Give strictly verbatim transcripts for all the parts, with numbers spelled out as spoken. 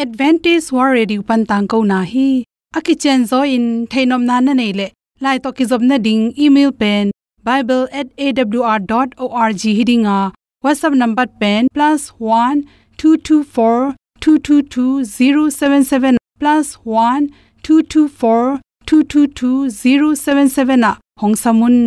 Adventist World Radio pan tangkona hi. A kicianzaw in theihnopna na neih leh, lai tawh kizopna ding email pen bible at A W R dot org hi ding a, WhatsApp number pen plus one two two four two two two zero seven seven, plus one two two four two two two zero seven seven ah hong sam un.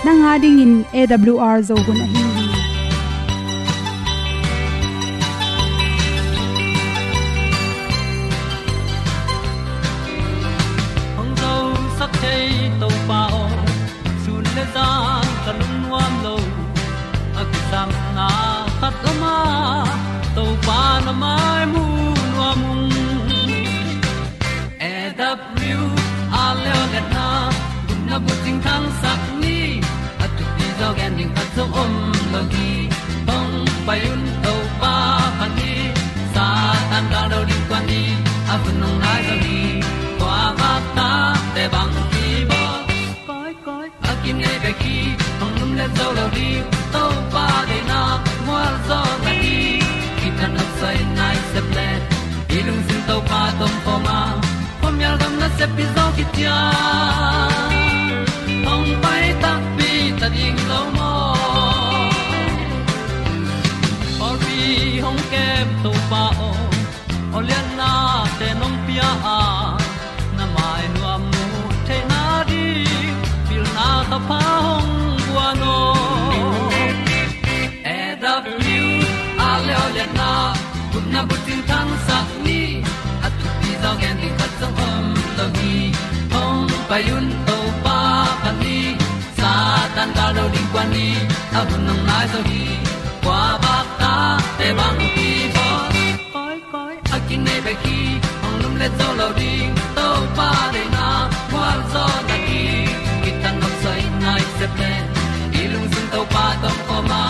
Nang a dingin A W R Zo hun ahi hi. Hong zosak thei Topa aw, sun le zan ka lungnuam lo. A kisapna khat om a, Topa na mai mu nuam ung. A W R Leoliatna gupna bucing thangsak ni, a thupi zaw gen ding khat zong om lo hi. Hong pai un Topa phat ni, Satan gal do ding kuan ni, a hun hong nai zaw hi. Kua vakta te bang kibawl, koi koi a kinei bek hi. Hong lumlet zo lo ding, Topa deihna mual zaw na hi. Kithat nopsai nai sep le, i lungsim Topa tawh om khawm a, khuamial gam nasep pi zaw kician. Hong pai takpi ta ding lo maw? Pawlpi hong kem Topa aw, aw lianna te nong pia a, na mai nuam mu theihna ding pilna ka pha hong guan aw. A W R Leoliatna gupna bucing thangsak ni, a thupi zaw gen ding khat zong om lo hi. Hong pai un Topa phat ni, Satan gal do ding kuan ni, a hun hong nai zaw hi. Kua vakta te bang kibawl, koi koi a kinei bek hi. Hong lumlet zo lo ding, Topa deihna mual zaw na hi. Kithat nopsai nai sep le, i lungsim Topa tawh om khawm a,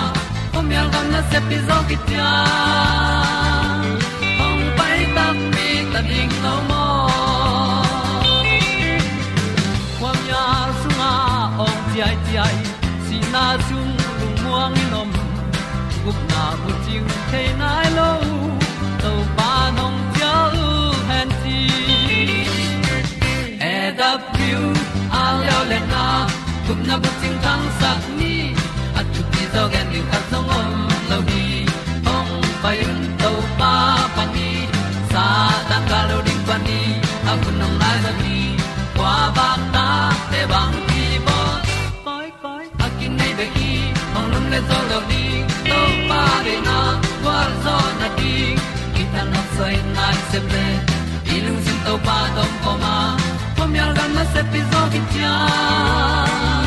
khuamial gam nasep pi zaw kician. Hong pai takpi ta ding lo maw? Khuamial sungah awng ciaiciai, sihna sung lungmuang in om, gupna bucing thei nai lo, Topa nong cial hen ci. A W R Leoliatna gupna bucing thangsak ni, a thupi zaw gen ding khat zong om lo hi. Hong pai un Topa phat ni, Satan gal do ding kuan ni, a hun hong nai zaw hi. Kua vakta te bang kibawl, koi koi a kinei bek hi. Hong lumlet zo lo ding, Topa deihna mual zaw na ding. Kithat nopsai nai sep le, i lungsim Topa tawh om khawm a, khuamial gam nasep pi zaw kician.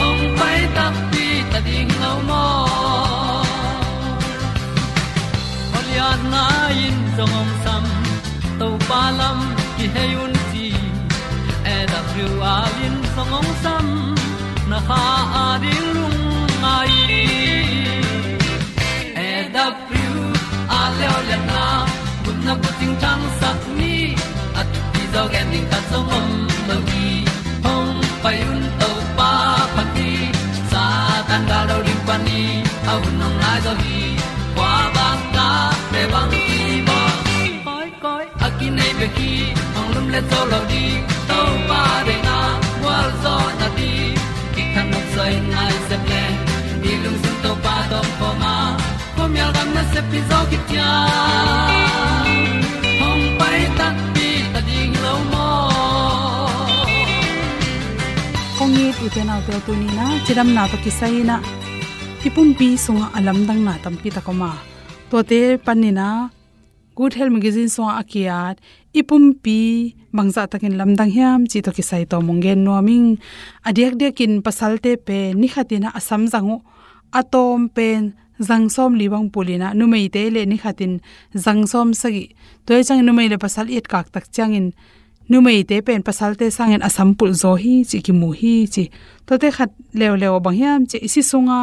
Hong pai takpi ta ding lo maw? Aw lianna in zong hong sam, Topa lam kihei un ci. A W R in zong hong sam, na kha a ding lungngai. A W R Leoliatna gupna bucing thangsak ni, a thupi zaw gen ding khat zong om lo hi. Hong pai un Topa phat ni, Satan gal do ding kuan ni, a hun hong nai zaw hi. Kua vakta te bang kibawl, koi koi a kinei bek hi. Hong lumlet zo lo ding, Topa deihna mual zaw na ding. Kithat nopsai nai sep le, i lungsim Topa tawh om khawm a, khuamial gam nasep pi zaw kician. Hong pai takpi ta ding lo maw? Kong it u te nau te, tuni in ah cidamna tawh kisai in ah i pumpi sungah a lamdangna tampi tak om a, tuate panin ah Good Health Magazine sungah a ki-at, i pumpi bangzah takin lamdang hiam cih tawh kisai tawm hong gen nuam ing. A diakdiakin pasalte pen ni khatin ah a samzang uh, a tawm pen zang sawmli bang pul in ah, numeite le ni khatin zang sawmsagih. Tua hi ciangin numei le pasal i etkak tak ciangin numeite pen pasalte sangin a sam pulh zaw hi ci, kimu hi ci. Tuate khat leuleu bang hiam cih leh, i si sunga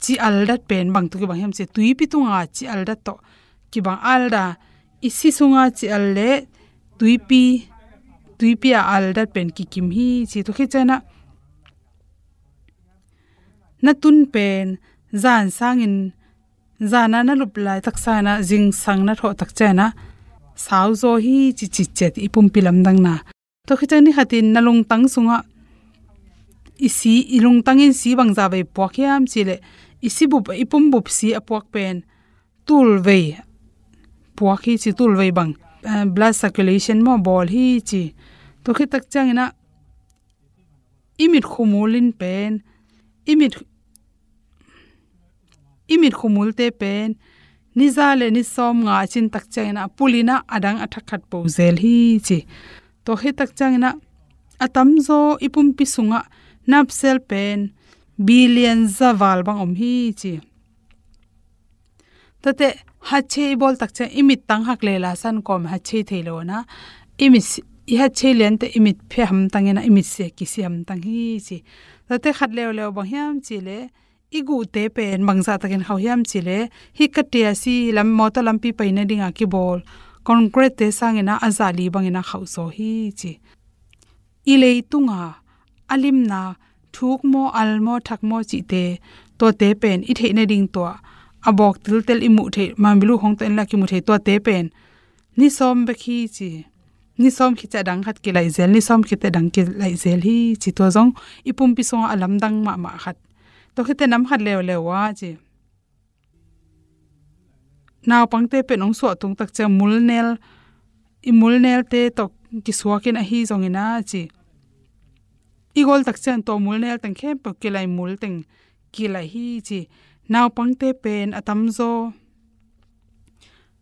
ci aldat pen bang tawh kibang hiam cih leh, tuipi tunga ci aldat tawh kibang. Alda, i si sunga ci al le tuipi, tuipi a aldat pen kikim hi ci. Tua khit ciangin ah na tun pen zan sangin, zan a na lup laitak sangin ah zingsang na thawh tak ciangin ah sau zaw hi ci, ci ciat i pumpi lamdangna. Tua khit ciang ni khatin na lungtang sungah i si, i lungtangin si bangzah vei puak hiam cih leh, i si bup, i pum bup si a puak pen tulvei puak hi ci, tulvei bang, eh, blood circulation maw, bawl hi ci. Tua khit tak ciangin ah i mit khumul in pen, i mit, i mit khumulte pen ni za le ni sawmnga a cin tak ciangin ah pul in ah a dang a thak khat po zel hi ci. Tua khit tak ciangin ah a tamzaw i pumpi sungah napsel pen billion za val bang om hi ci. Tuate hatchei i bawl tak ciang i mit tang hak le la san kawm hatchei thei lo na. I mit si-, i hatchei liante i mit phe hamtang in ah, i mit sia kisi hamtang hi ci. Tuate khat leuleu bang hiam cih leh, i guhte pen bangzah takin khauh hiam cih leh, hih ka tia si lam, mawtaw lampi paina dinga kibawl concrete sangin ah a zah li bangin ah khauh zaw hi ci. I leitunga a limna, thuk maw, al maw, thak maw cihte, tuate pen i theih nading tua a bawk tiltel i muh theih, manbilu khong tawh in la kimu thei, tuate pen ni sawm bek hi ci. Ni sawm khit ciang a dang khat kilaih zel, ni sawm khit ciang a dang kilaih zel hi ci. Tua zong i pumpi sungah a lamdang mahmah khat. Tua khit ciang nam khat leuleu ah ci, naupangte pen hong suah tung tak ciang mulnel, i mulnelte tawh kisuakin ahi zongin ah ci, i gol tak ciang tua mulnel teng khempeuh kilaih, mul teng kilaih hi ci. Naupangte pen a tamzaw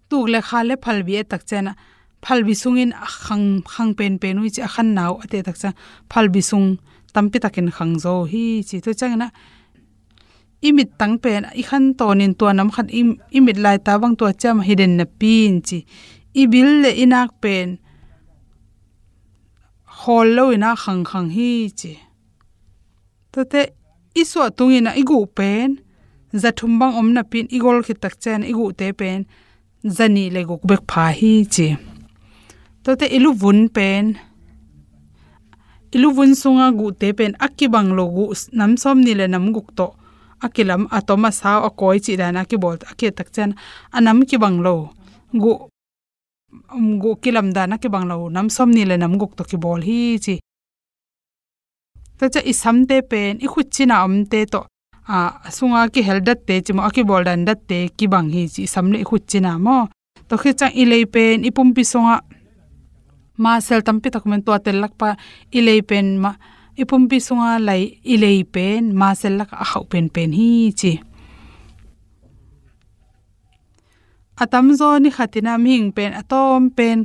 tuk le kha le phalbi et tak ciang ah, phalbi sungin a khang, khang penpen uh hi ci, a khanna uh a teh tak ciang phalbi sung tampi takin khang zaw uh hi ci. Tua ciangin ah i mit tang pen i khan tawnin tua nam khat i, i mit laita bang tua ciam hi den napi in ci, i bil le i nak pen khawl lo in ah khangkhang hi ci. Tuate i suah tungin ah i guh pen za thum bang om napi in, i gol khit tak ciang i guhte pen za nih le guk bek pha hi ci. Tuate i luvun pen, i luvun sunga guhte pen a kibang lo, guh nam sawmnih le nam guk tawh a kilam, a tom a sau a kawi cih dan a kibawl, a kiat tak ciang a nam kibang lo, guh, um, guh kilam dan a kibang lo nam sawmnih le nam guk tawh kibawl hi ci. Tua ciang i samte pen i khut cina omte tawh, a, a sunga kihel datte ci maw, a kibawl dan datte kibang hi ci, i sam le i khut cina maw. Tua khit ciang i lei pen i pumpi sungah muscle tampi tak om in, tua tel lak pan i lei pen ma, i pumpi sunga lei, i lei pen muscle lakah a khauh penpen hi ci. A tamzaw ni khatin ah mihing pen a tawm pen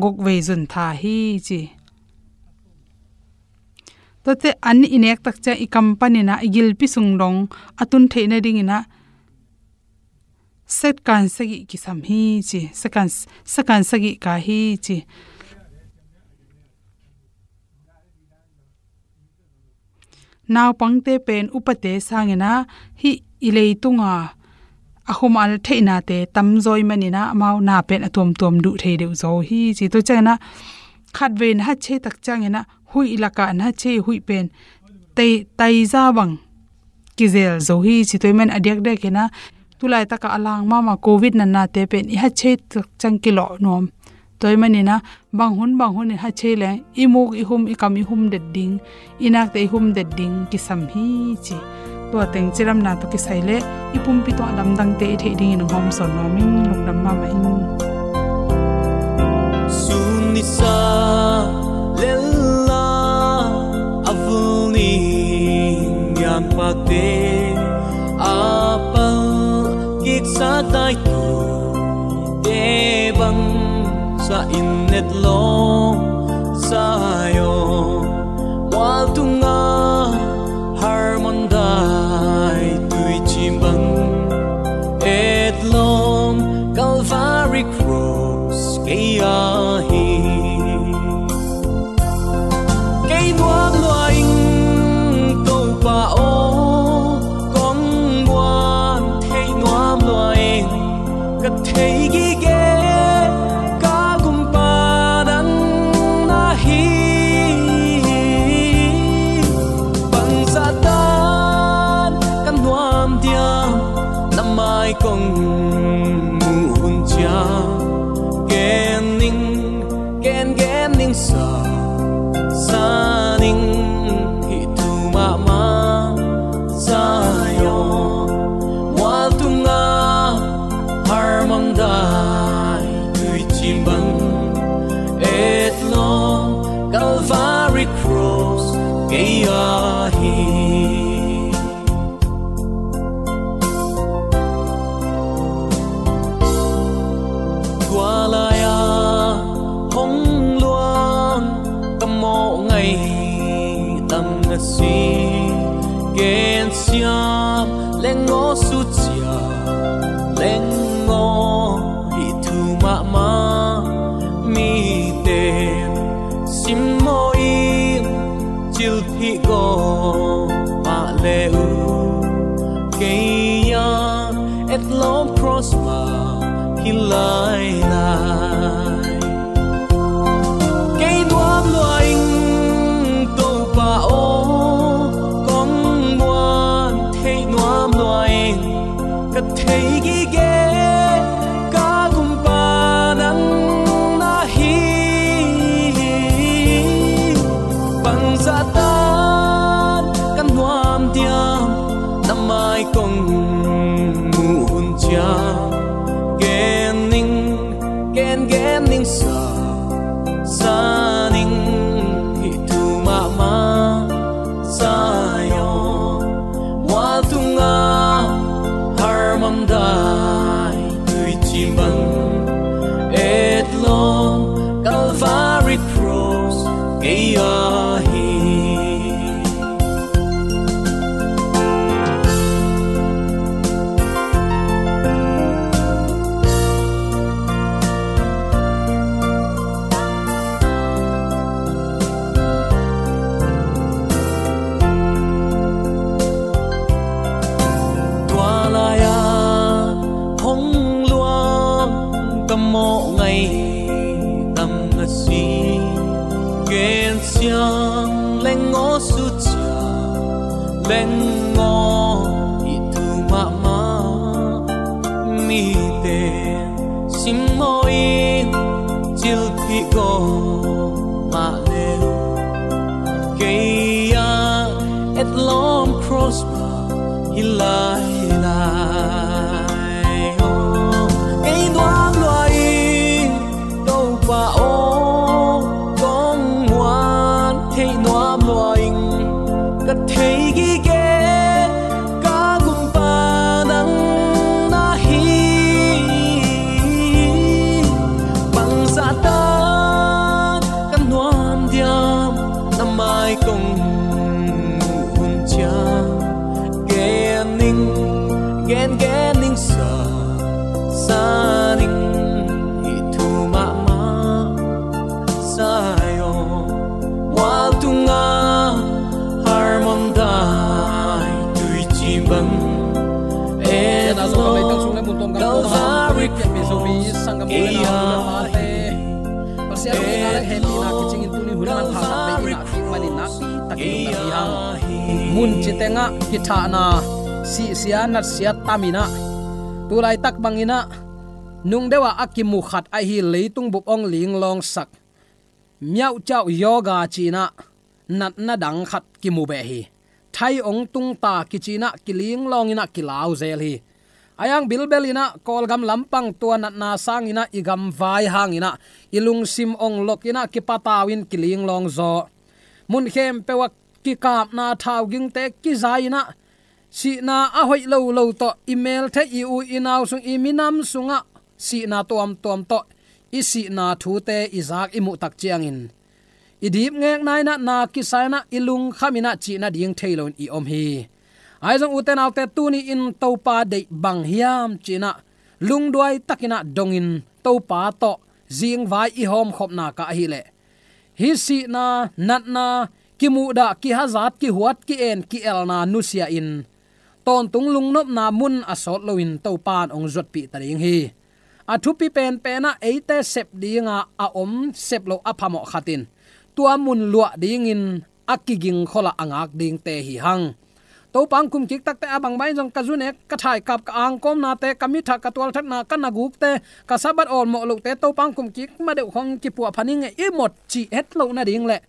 guk vei zun tha hi ci. Tuate an i nek tak ciang i kam panin ah i gilpi sung dong a tun theih nadingin ah second sagih kisam hi ci. Second, second sagih kah hi ci. Naupangte pen upate sangin ah hih i leitunga a khumal theihnate tamzaw ahih manin ah amau na pen a tuamtuam duh thei deuh zaw uh hi ci. Tua ciangin ah khatvei na hatchei tak ciangin ah huih lakah na hatchei, huih pen tai, taiza bang kizel zo hi ci. Tua ahih manin a diakdiakin ah tulaitakah a lang mahmah Covid natnate pen i hatchei tak ciang kilawh nuam. Tua ahih manin ah bang hun bang hun i hatchei leng i muk i hum, i kam i hum det ding, i nakte i hum det ding kisam hi ci. Tua teng cidamna tawh kisai leh i pumpi tungah lamdangte i theih dingin hong hawmsawn nuam ing. Lungdam mahmah ing. Sun nisa lella a vul ni ngian pakte a pal kiksa taitute bang sa in netlawng Zion mual tunga harmon dai Thei gige ka gumpa nang na hi. Bangzah tan ka nuam diam, na mai kong muh hun ciang. Gen ning, gen gen ning sa, sa ning, hih thu mahmah. Zion mual tungah harmon dai tuici bang, etlawm Calvary Cross kei ah hi. Tua lai-ah hong luang ka mawh ngai tam na si. Gensiam leng aw, sucia leng aw, hih thu mahmah. Mite simmawh in cilphih gawp mah le uh, kei ah etlawm cross mah hi lailai. Kei nuam lua ing Topa aw, kong muan theih nuam lua ing. Ka thei gige ka gumpa nang na hi. Bangzah tan ka nuam diam, na mai kong muh hun ciang. Gen ning, gen gen ning sa, sa ning, hih thu mahmah. Zion mual tungah harmon dai tuici bang, etlawm Calvary Cross kei ah hi. Tua lai-ah hong luang ka mawh ngai tam na si. Gensiam leng aw, sucia leng aw, hih thu mahmah. Mite simmawh in cilphih gawp mah le uh, kei ah etlawm cross mah hi lailai. Kei nuam lua ing Topa aw, kong muan theih nuam lua ing. Ka thei gige ka gumpa nang na hi. Bangzah tan ka nuam diam, na mai kong muh hun ciang. Gen ning, gen gen ning sa, sa ning, hih thu mahmah. Zion mual tungah harmon dai tuici bang, etlawm Calvary Cross kei ah hi. Pasian in a lak hehpihna kicingin tuni hun manpha tak bei in a kik manin nakpi takin lungdam hi hang. Mun citengah kithahna, sihsia natsia taminah, tulaitak banginah nungdeuh ah a kimu khat ahi leitung bup hong linglawngsak, miauhciauh yoga cinah natna dang khat kimu beh hi. Thai hong tungta kicinah kilinglawng inah kilau zel hi. A yang bilbel inah Kawlgam lampang tua natna sanginah i gamvai hanginah i lungsim hong lok inah kipatau in kilinglawng zaw. Mun khempeuh ah kikapna thaugingte kizai inah sihna a hoih lolo tawh i meltheih, i u i nau sung, i minam sungah sihna tuamtuam tawh i sihna thute i zak i muhtak ciangin i dipngekna inah na kisa inah i lungkham inah cih nading thei loin i om hi. Ahi zong ute naute, tuni in Topa deih bang hiam cinah lungduai takinah dongin Topa tawh zingvai i hawmkhopna ka ahileh hih sihna, natna, kimuhdah, kihazat, kihuat, ki-en, ki-elna nusia in tawntung lungnopna mun a sawt loin Topa in hong zuatpih ta ding hi. A thupi penpen ah eite sep dinga a om sep lo a phamawh khat in tua mun luah dingin a kigingkhol a a ngak dingte hi hang. Topa hong kumkik takte a bangbang in zong ka zu nek, ka thaikap, ka angkawmnate, ka mithak, ka tualthatna, ka nagukte, ka Sabbath awlmawh lohte Topa hong kumkik ma deuh khong kipuah pha ning e i mot cih het loh nading le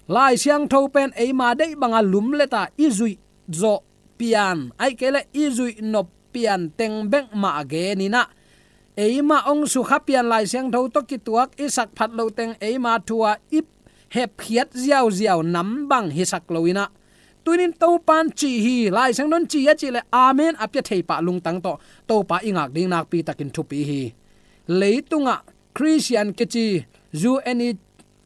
Lai Siangtho pen eima deih banga lumlet a i zuih zawh pian, ahih kei leh i zuih nop pian teng bek mah a genin ah, eima hong sukha pian Lai Siangtho tawh kituak i sak phat loh teng eima thu a i hepkhiat ziauziau nam bang hisak loin ah, tunin Topa in cih hi, Lai Siangtho in cih hi a cih leh amen a pia thei pah lungtang tawh Topa i ngak ding nakpi takin thupi hi. Leitungah Khristian kici U N i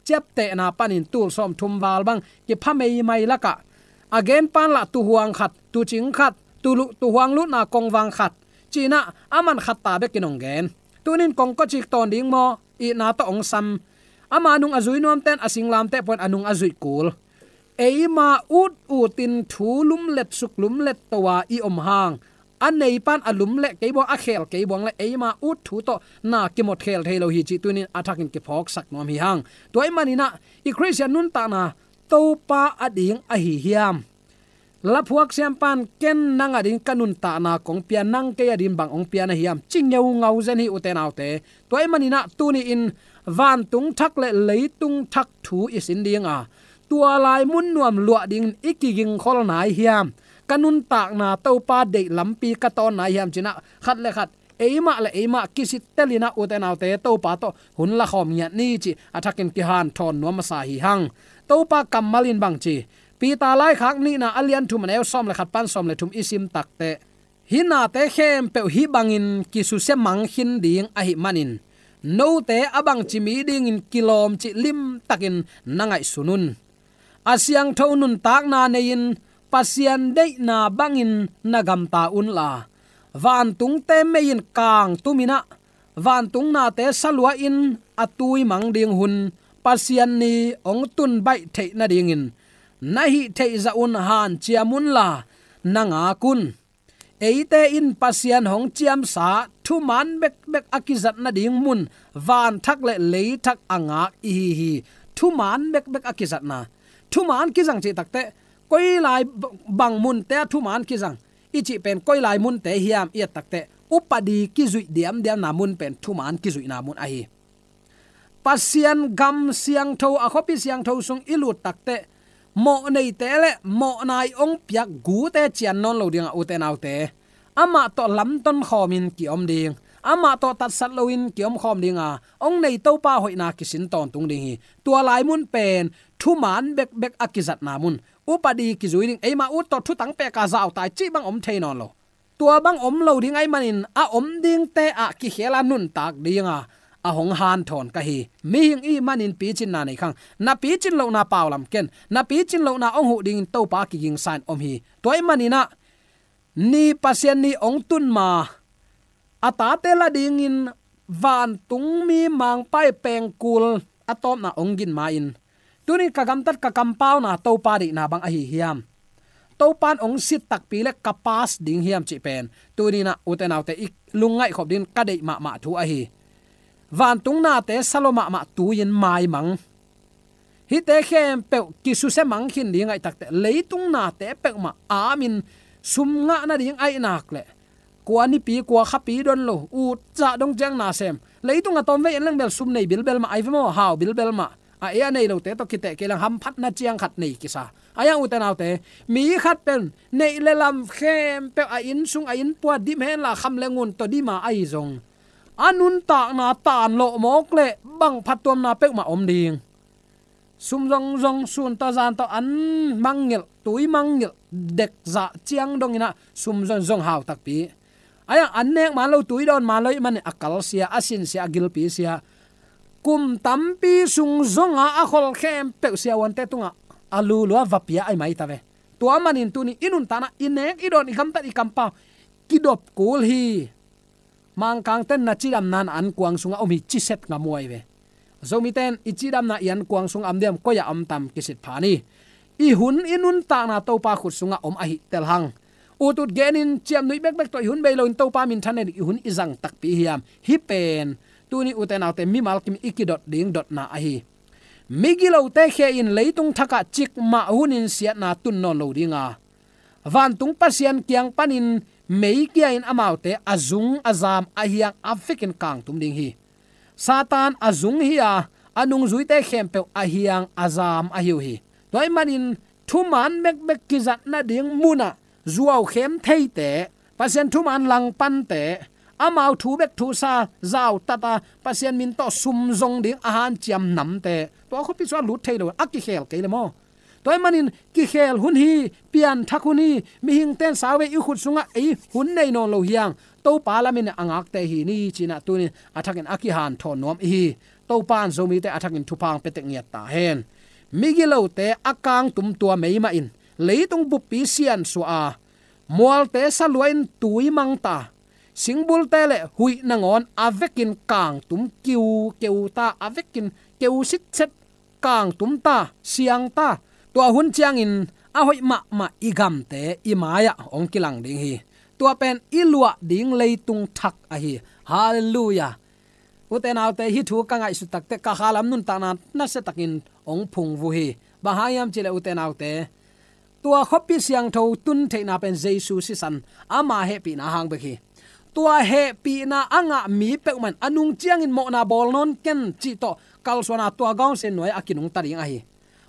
ciaptehna panin tul sawmthum val bang kipha meimai lakah a genpan lah tuhuang khat, tucing khat, tulu-, tuhuang lutna kongvang khat ci-in ah a man khat ta bekin hong gen. Tunin kongkawcik tawn ding maw, itna tawh hong sam. Ama nung a zui nuamten a singlamteh pawhin a nung a zuih kul. Eima ut utin thu lumlet suk lumlet to a i om hang, a neipan a lumlet kei buang, a khel kei buang le eima ut thu tawh na kimot khel thei lo hi cih tunin a thakin kiphawksak nuam hi hang. Tua ahih manin ah i Khristian nuntakna Topa ading ahi hiam? Laphuak siampan ken nang ading ka nuntakna kong pia, nang kei ading bang hong pia na hiam, ci ngeungau zen hi ute naute. Tua ahih manin ah tuni-in vantung thak le leitung thak thu i sin dinga, tua lai mun nuam luah dingin i kigingkhol nai hiam? Ka nuntakna Topa deih lampi ka tawn nai hiam ci-in ah khat le khat, eimah le eimah kisittelin ah ute naute Topa tawh hun lakhawm ngiat ni cih a thakin kihanthawn nuam masa hi hang. Topa kammal in bang ci? Peter laikhak nihna a lian thum a neu sawm le khat pan sawm le thum i sim takteh, hih nate khempeuh hih bangin kisusia mang khin ding ahih manin, note a bangci mi dingin kilawm cih limtakin na ngaihsun un. A siangtho nuntakna nei-in Pasian deihna bangin na gamta unla, vantungte mei in kangtumin ah, vantung nate salua-in a tui mang ding hun Pasian ni hong tun baih theih nadingin na hih theih zah un hanciam unla, na ngak un. Eite in Pasian hong ciamsa thuman bekbek a kizat nading mun vanthak le leithak a ngak i hi hi. Thuman bekbek a kizatna. Thuman kizang cih takteh, koi lai b-, bang munte ah thuman kizang i cih pen koi lai munte hiam i et takteh, upadi kizuih diamdiamna mun pen thuman kizuihna mun ahi. Pasian gam siangtho, a khuapi siangtho sung i lut takteh, mawh neite le mawhna i hong piak gute cian nawn lo dingah ute naute, amah tawh lamton khawmin ki-om ding, amah tawh tatsat loin ki-om khawm dinga, hong nei Topa hoihna kisin tawntung ding hi. Tua lai mun pen thuman bekbek a kizatna mun, upadi kizui ding, eima ut tawh thutang peka zautai cih bang om thei nawn lo. Tua bang om lo ding ahih manin a om dingte ah kikhela nuntak dinga a hong hanthawn ka hi. Mihing ihih manin picinna nei khang. Na picin lohna paulam ken, na picin lohna hong huh dingin Topa kigingsa in om hi. Tua ahih manin ah ni Pasian ni hong tun ma, a tate la dingin vantung mi mangpa i pengkul a tawpna hong gin ma-in, tuni ka gamtat ka kampauna Topa deihna bang ahi hiam? Topa in hong sit takpi le ka pass ding hiam cih pen tuni-in ah ute naute i lungngaih khop dingin ka deih mahmah thu ahi. Vantung nate salo mahmah tui-in maimang. Hihte khempeuh kisusia mang khin ding ahih takteh, leitung nate peuhmah amin sum ngah nading ahih nak leh, kua nipi kua khapi don lo, ut zah dong ciang na sem. Leitung a tawmvei en leng bel sum nei bilbel mah ahi ve maw, hau bilbel mah. A ei a nei lote tawh kiteh kei leng hamphatna ciang khat nei kisa. Ahi hang ute naute, mi khat pen neih le lam khempeuh a inn sung a inn pua dim henla kham le ngun tawh dima ahi zong, a nuntakna tanlawh mawk leh bang phattuamna peuhmah om ding. Sum zongzong, sun tawh zan tawh an mangngilh, tui mangngilh, dek zah ciang dongin ah sum zongzong hau takpi. Ahi hang an nek man lo, tui dawn man lo ahih manin a kalsia, a sinsia, a gilpisia. Kum tampi sung zongah a khol khempeuh siavuante tungah a lulua va pia ahi mai ta ve. Tua manin tuni i nuntakna i nek i dawn, i gamtat, i kampau kidop kul hi. Mangkangten na cidamna na ankuang sungah om hi, ciset ngam uh ahi ve. Zomiten i cidamna i ankuang sungah om diam, koi-ah om tam kisit phan hi. I hun i nuntakna Topa khut sungah om ahi tel hang. Utut genin ciamnuih bekbek tawh i hun bei loin Topa minthanna ding i hun i zang takpi hiam? Hih pen tuni ute naute mimal kim i kidot ding dotna ahi. Migilote khia in leitung thakah cikmah hunin siatna tun nawn lo dinga, vantung Pasian kiang panin mei kia in amaute a zung a zam a hiang a vekin kangtum ding hi. Satan a zung hi a, a nungzuite khempeuh a hiang a zam ahi uh hi. Tua ahih manin thuman bekbek kizat nading munah zuaukhem theite, Pasian thuman langpante, amau thu bek thusa zautat a Pasian min tawh sum zong ding a hanciam namte, tua khuapi sungah lut thei lo, a kikhel kei le maw? Tua ahih manin kikhel hun hi, pianthak hun hi, mihingte in sau ve, i khut sungah ei hun nei nawn lo hi hang, Topa lamin a ngakte hi ni ci-in ah tunin a thakin a kihanthawn nuam i hi. Topa in Zomite a thakin thupha hong pia tek ngiat ta hen. Migilote a kangtum tua mei mah in leitung buppi siansuah a, mualte salua in tui mang ta, singbulte le huih nangawn a vekin kangtum kiu keu ta, a vekin keu sitset kangtum ta, siang ta. Tua hun ciangin a hoih mahmah i gamte i mai-ah hong kilang ding hi. Tua pen i luah ding leitung thak ahi. Halleluiah. Ute naute, hih thu ka ngaihsut takteh ka khalam nuntakna nasiatakin hong phungvuh hi. Bang hang hiam cihleh ute naute, tua khuapi siangtho tun theihna pen Jesu sisan, ama hehpihna hang bek hi. Tua hehpihna a ngah mi peuhmah in a nung ciangin mawhna bawl nawn ken cih tawh kalsuana tua gawn sin nuai a kinungta ding ahi.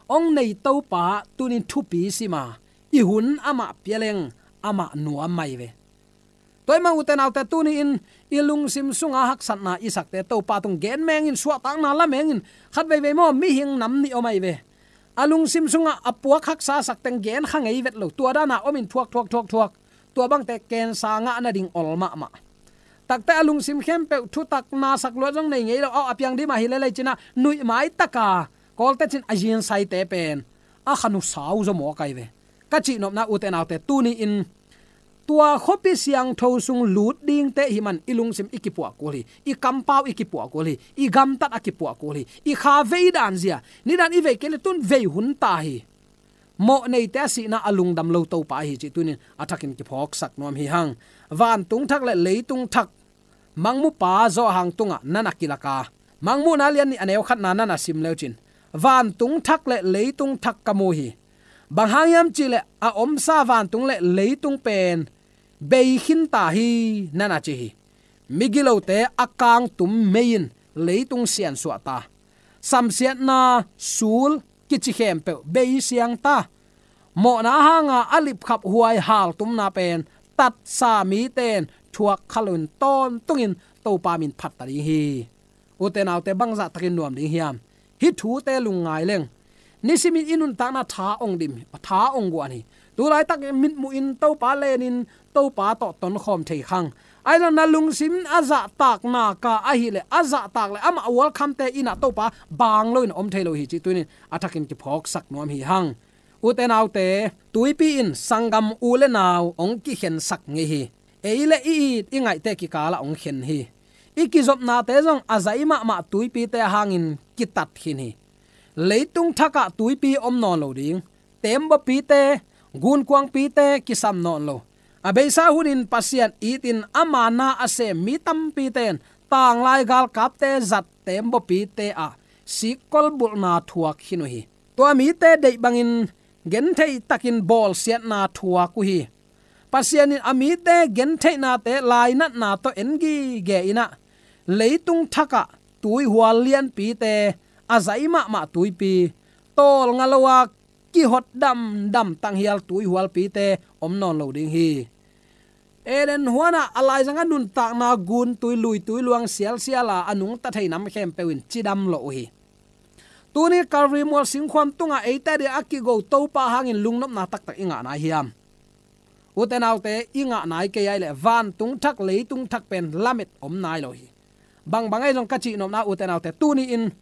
Hong nei Topa tunin thupi sima, i hun amah pia leng amah nuam mai ve. Tua ahih manin ute naute, tuni-in i lungsim sunga haksatna i sakte Topa tung gen mengin, suahtakna la mengin. Khat veivei maw, mihing nam nih om ahi ve. A lungsim sungah a puak haksa a sak teng gen kha ngei vet lo, tua dana omin thuak thuak thuak thuak. Tua bangte kensa ngah nading ol mahmah. Takte a lungsim khempeuh thutakna sak luat zong nei ngei lo, a piang dima hi lelei ci-in ah nuih maitaka kawlte cin a zinsaite pen a khan uh sau zaw mawk ahi ve. Ka cihnopna ute naute, tuni-in tua khuapi siangtho sung lut dingte hih man i lungsim i kipuah kul hi, i kampau i kipuah kul hi, i gamtat a kipuah kul hi, i kha vei dan zia, nidan i vei kei le tun vei hun ta hi. Mawh neite a sihna a lungdam lo Topa ahi cih tunin a thakin kiphawksak nuam hi hang. Vantung thak le leitung thak Mangmupa Johan tungah na na kilak a, Mangmuhna lian nih a neu khatna na na sim leu cin, vantung thak le leitung thak ka mu hi. Bang hang hiam cihleh a omsa vantung le leitung pen bei khin ta hi, na na ci hi. Migilote a kangtum mei in leitung siansuah ta. Samsiatna sul kici khempeuh bei siang ta. Mawhna hanga a lipkhap huai haltumna pen tatsa mite in thuak kha loin tawntungin Topa min phat ta ding hi. Ute naute, bangzah takin nuam ding hiam? Hih thute lungngai leng. Nisimin i nuntakna tha ong dim, tha ong guan hi. Tulaitak mitmuhin Topa lenin Topa tawh tonkhawm thei khang. Ahi zong na lungsim a zahtak naka ahileh, a zahtak le amah welcome-te in ah Topa bang loin om thei lo hi cih tunin a thakin kiphawksak nuam hi hang. Ute naute, tuipi in sanggam u le nau hong kikhensak ngei hi. Ei le i it i ngaihte kikalah hong khen hi. I kizopnate zong a zai mahmah tuipite hangin kitat khin hi. Leitung thakah tuipi om nawn lo ding. Teembawpite, gunkuangpite kisam nawn lo. A beisa hunin Pasian itin ama na a sem mi tampite in tanglai galkapte zat teembawpite ah sikkol bulhna thuak khin uh hi. Tua mite deih bangin gentheih takin bawlsiatna thuak uh hi. Pasian in a mite gentheihnate lainatna tawh en gige in ah, leitung thakah tuihual lianpite, a zai mahmah tuipi, tawlnga lo a kihot damdam tanghial tuihualpite om nawn lo ding hi. Eden huanah a laizang a nuntakna guntui, luitui, luang sialsial a a nungta thei nam khempeuh in cidam lo uh hi. Tuni Calvary mual singkhuam tungah eite dia a kigo Topa hangin lungnopna taktak i ngah nai hiam? Ute naute, i ngah nai kei ai leh vantung thak leitung thak pen lamet om nai lo hi. Bangbang ahi zong ka cihnopna ute naute, tuni-in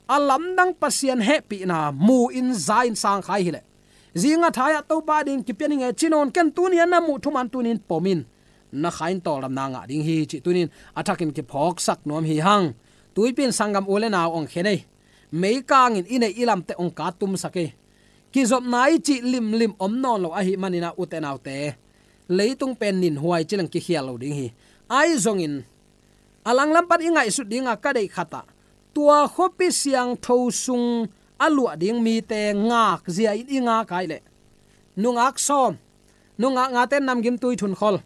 a lamdang Pasian hehpihna mu-in za-in sangkhai hileh, zinga thai-ah Topa ding kipia ning e ci nawn ken, tuni-a na muh thuman tuni-in pom in, na kha in tawldamna ngah ding hi cih tuni-in a thakin kiphawksak nuam hi hang. Tuipi in sanggam u le nau ong khen ei. Meikangin i neih i lamte ong kattumsak ei. Kizopna i cih limlim om nawn lo ahih manin ah ute naute, leitung pen ninhuai ci leng kikhial lo ding hi. Ahi zongin a langlam pan i ngaihsut dinga ka deih khatah, tua khuapi siangtho sung a luah ding mite ngakzia in i ngak ahih leh, nungak sawm, nungak ngate'n namgimtui thunkhol,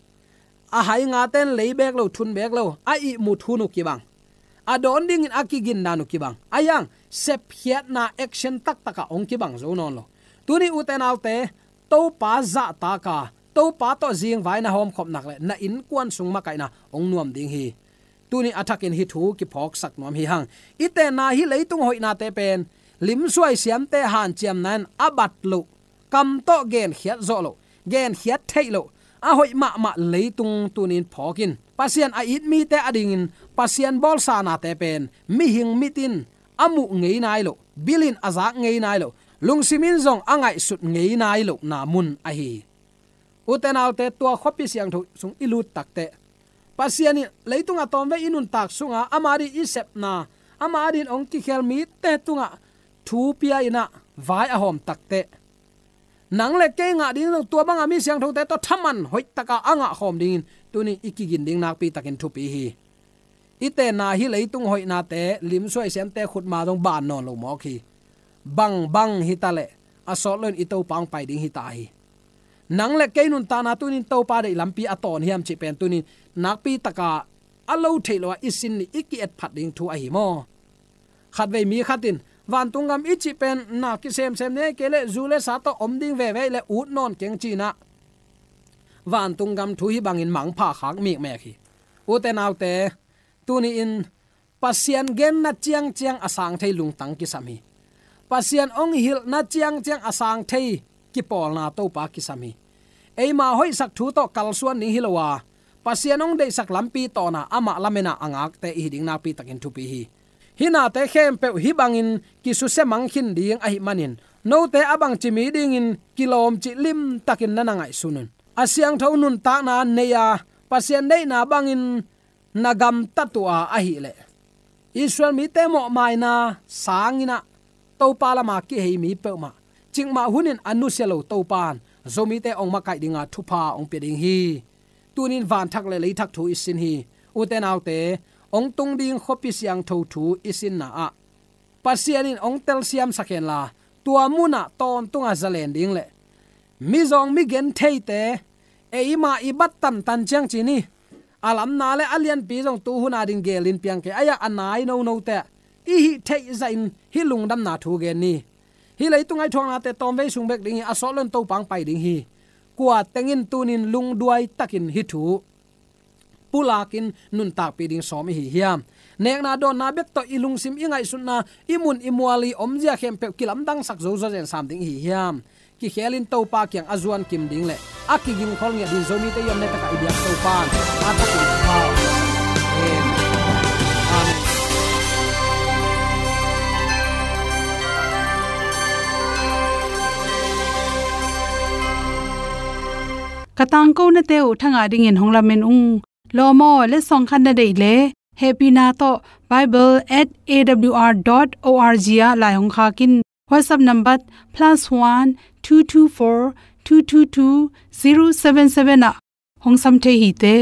a hai ngate'n lei beek lo, thun beek lo, a ihmut hun uh kibang, a dawn dingin a kigindan uh kibang, a hiang sepkhiatna action taktakah hong kibang zo nawn lo. Tuni ute naute, Topa zahtaka, Topa tawh zingvai na hawmkhop nak leh na innkuan sung makaihna hong nuam ding hi. Tuni a thakin hih thu kiphawksak nuam hi hang. I tenna hih leitung hoihnate pen limsuai siamte hanciamna in a bat loh, kam tawh genkhiat zawh loh, genkhiat theih loh, a hoih mahmah leitung tunin phawk in, Pasian a it mite adingin Pasian bawlsa nate pen mihing mit in a muh ngei nai loh, bil in a zak ngei nai loh, lungsim in zong a ngaihsut ngei nai lohna mun ahi hi. Ute naute, tua khuapi siangtho sung i lut takteh, Pasian in leitung a tawmvei i nuntak sunga ama adin i sepna, ama adin hong kikhel mite tungah thu pia in ah vai a hawm takteh, nang le kei ngah ding zong tua banga mi siangthote tawh thaman hoihtaka a ngah khawm dingin tuni i kigin ding nakpi takin thupi hi. I tenna hih leitung hoihnate limsuai siamte khutma zong ban nawn lo mawk hi. Bangbang hi ta leh a sawt loin i Topa hong pai ding hi ta hi. Nang le kei nuntakna tunin Topa deih lampi a tawn hiam cih pen tunin nakpi taka a lo theih lo a i sin ni i ki-et phat ding thu ahi maw? Khatvei mi khat in, vantung gam i cih pen na kisemsem nei kei leh zu le sa tawh om ding veve le ut nawn keng ci-in ah vantung gam thu hih bangin mangpha khak mikmek hi. Ute naute, tuni-in Pasian genna ciangciang a sang thei lungtang kisam hi. Pasian hong hilhna ciangciang a sang thei kipawlna Topa kisam hi. Eima hoihsak thu tawh kalsuan ding hi lo a, Pasian hong deihsak lampi tawna amah lamena a ngakte i hi ding nakpi takin thupi hi. Hih nate khempeuh hih bangin kisusia mang khin ding ahih manin, note a bangci mi dingin kilawm cih limtakin na na ngaihsun un. A siangtho nuntakna nei a, Pasian deihna bangin na gamtat uh a ahih leh, Israel mite mawhmaina sangin ah Topa lama kihei mi peuhmah, cikmah hunin a nusia lo Topa in Zomite hong makaih dinga thupha hong pia ding hi. Tunin vanthak le leithak thu i sin hi. Ute naute, hong tung ding khuapi siangtho thu i sinna ah Pasian in hong telsiamsak henla, tua munah tawntungah zalen ding le mizawng migen theite eima i bat tantan ciang ci ni. A lamna le a lianpi zong tuhuna ding gelin piang kei a, a nai nonote i hih theih zahin hih lungdamna thu gen ni. Hih leitung a i thuaknate tawmvei sung bek ding hi, a sawt loin Topa hong pai ding hi. Kua teng in tunin lungduai takin hih thu pulakin nuntakpih ding sawm i hi hiam? Nekna dawnna bek tawh i lungsim, i ngaihsutna, i mun i mual, i omzia khempeuh kilamdangsak zo zawzen sam ding i hi hiam? Kikhelin Topa kiang a zuan kim ding le a kigingkhol ngiat ding Zomite i om nai takah i biak Topa in a thakin pha. Amen. Amen. Ka tangkonate uh thangah dingin hong lamen ung. Lawm aw, letsong khat na deih le hehpihna tawh bible at A W R dot O R G ah lai hong khak in. WhatsApp number plus one two two four two two two zero seven seven ah hong sam thei hi te.